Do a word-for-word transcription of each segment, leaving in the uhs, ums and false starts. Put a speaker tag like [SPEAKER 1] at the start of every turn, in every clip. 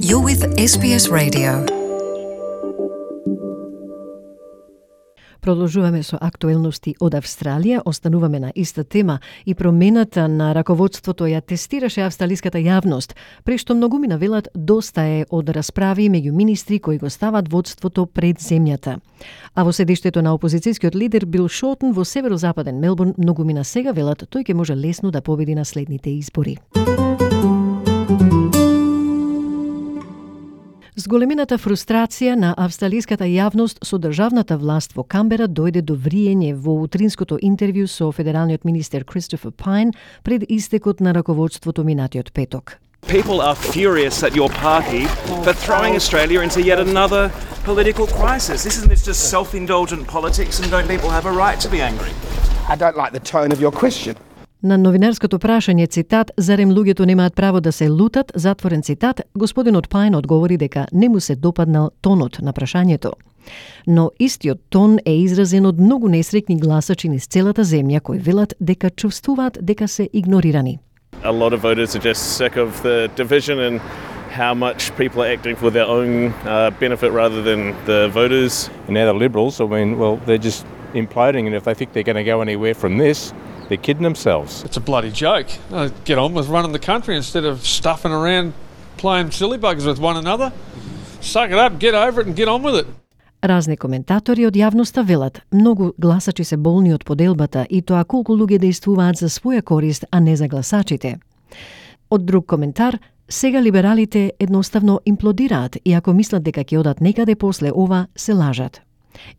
[SPEAKER 1] You're with Ес Би Ес Radio. Продолжуваме со актуелности од Австралија, остануваме на иста тема и промената на раководството ја тестираше австралиската јавност, при што многумина велат доста е од расправи меѓу министри кои го стават водството пред земјата. А во седиштето на опозицијскиот лидер Бил Шортен во северозападен Мелбурн многумина сега велат тој ќе може лесно да победи на следните избори. Зголемената фрустрација на австралиската јавност со државната власт во Камбера дојде до вриење во утринското интервју со федералниот министер Кристофер Пайн пред истекот на раководството минатиот петок.
[SPEAKER 2] People are furious at your party for throwing Australia into yet another political crisis. Isn't this just self-indulgent politics, and don't people have a right to be angry?
[SPEAKER 3] I don't like the tone of your question.
[SPEAKER 1] На новинарското прашање, цитат, зарем луѓето немаат право да се лутат, затворен цитат, господинот Пайн одговори дека не му се допаднал тонот на прашањето. Но истиот тон е изразен од многу несреќни гласачи низ целата земја кои велат дека чувствуваат дека се игнорирани.
[SPEAKER 4] A lot of voters are just sick of the division and how much people are acting for their own uh, benefit rather than the voters.
[SPEAKER 5] And now the Liberals, I mean, well, they're just imploding, and if they think they're going to go anywhere from this, they're kidding themselves.
[SPEAKER 6] It's a bloody joke. Uh, get on with running the country instead of stuffing around playing silly buggers with one another. Suck it up, get over it and get on with it.
[SPEAKER 1] Разни коментатори од јавноста велат, многу гласачи се болни од поделбата и тоа колку луѓе действуваат за своја корист, а не за гласачите. Од друг коментар, сега либералите едноставно имплодираат и ако мислат дека ќе одат некаде после ова, се лажат.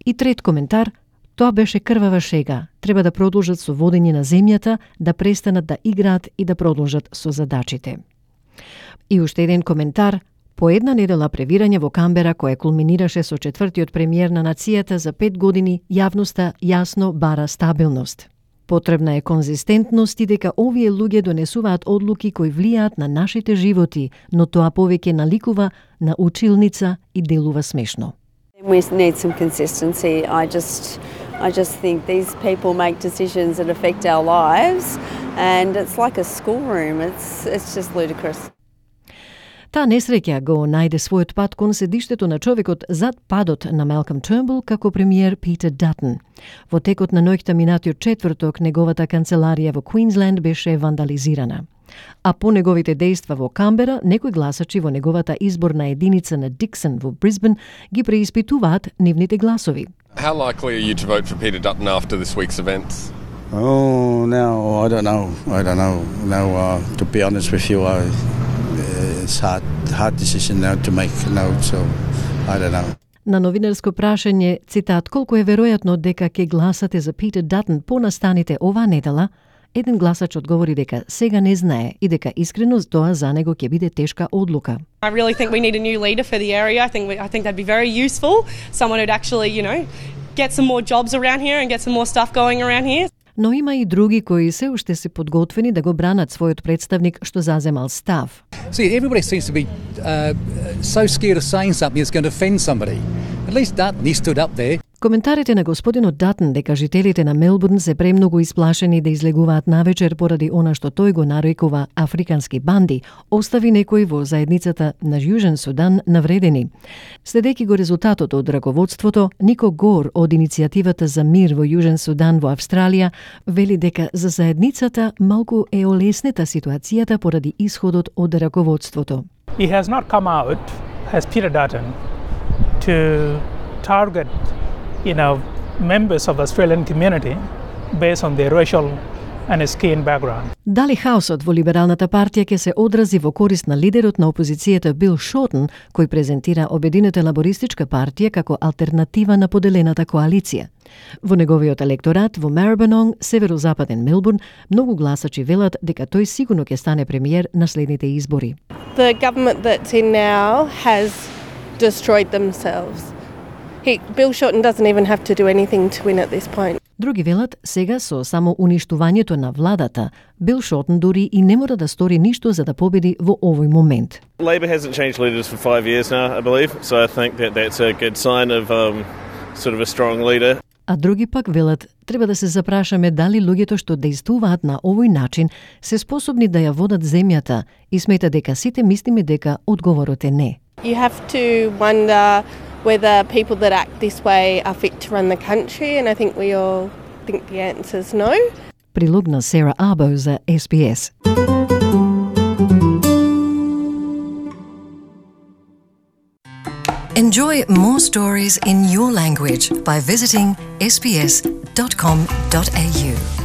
[SPEAKER 1] И трет коментар, тоа беше крвава шега. Треба да продолжат со водење на земјата, да престанат да играат и да продолжат со задачите. И уште еден коментар, по една недела превирање во Камбера, кое кулминираше со четвртиот премиер на нацијата за пет години, јавноста јасно бара стабилност. Потребна е конзистентност и дека овие луѓе донесуваат одлуки кои влијаат на нашите животи, но тоа повеќе наликува на училница и делува смешно.
[SPEAKER 7] We need some consistency. I just I just think these people make decisions that affect our lives, and it's like a schoolroom. It's it's just ludicrous.
[SPEAKER 1] Таа несреќа го најде својот пат кон седиштето на човекот зад падот на Малком Тернбул како премиер Питер Датон. Во текот на ноќта минатиот четврток неговата канцеларија во Квинсленд беше вандализирана. А по неговите дејства во Камбера, некои гласачи во неговата изборна единица на Диксон во Брисбен ги преиспитуваат нивните гласови.
[SPEAKER 8] How likely are you to vote for Peter Dutton after this week's events?
[SPEAKER 9] Oh, no, I don't know. I don't know. No, uh, to be honest with you, I, it's hard, hard decision now to make. No, so I don't know.
[SPEAKER 1] На новинарско прашање, цитат, колку е веројатно дека ќе гласате за Питер Датон по настаните оваа недела, еден гласач одговори дека сега не знае и дека искрено тоа за него ќе биде тешка одлука.
[SPEAKER 10] I really think we need a new leader for the area. I think we, I think that'd be very useful. Someone who'd actually, you know, get some more jobs around here and get some more stuff going around here.
[SPEAKER 1] Но има и други кои се уште се подготвени да го бранат својот представник што заземал став.
[SPEAKER 11] See, everybody seems to be uh, so scared of saying something that's going to offend somebody. At least Dutton, he stood up there.
[SPEAKER 1] Коментарите на господинот Датон дека жителите на Мелбурн се премногу исплашени да излегуваат навечер поради она што тој го нарекува африкански банди, остави некои во заедницата на Јужен Судан навредени. Следејќи го резултатот од раководството, Нико Гор од иницијативата за мир во Јужен Судан во Австралија вели дека за заедницата малку е олеснета ситуацијата поради исходот од раководството.
[SPEAKER 12] He has not come out as Peter Dutton to target, you know, members of the Australian community based on their racial and skin background.
[SPEAKER 1] Дали хаосот во либералната партија ќе се одрази во корист на лидерот на опозицијата Бил Шортен, кој презентира Обединета лабористичка партија како алтернатива на поделената коалиција. Во неговиот електорат во Марибононг, северозападен Мелбурн, многу гласачи велат дека тој сигурно ќе стане премиер на следните избори.
[SPEAKER 13] The government that's in now has destroyed themselves. He, Bill Shorten doesn't even have to do anything to win at this point.
[SPEAKER 1] Други велат, сега со само уништувањето на владата, Бил Шортен дури и не мора да стори ништо за да победи во овој момент.
[SPEAKER 4] Labor hasn't changed leaders for five years now, I believe, so I think that that's a good sign of um, sort of a strong leader.
[SPEAKER 1] А други пак велат, треба да се запрашаме дали луѓето што дејствуваат на овој начин се способни да ја водат земјата и смета дека сите мислиме дека одговорот е не.
[SPEAKER 13] You have to wonder whether people that act this way are fit to run the country, and I think we all think the answer is no.
[SPEAKER 1] Прилог на Сара Або за С Б С.
[SPEAKER 14] Enjoy more stories in your language by visiting s b s dot com dot a u.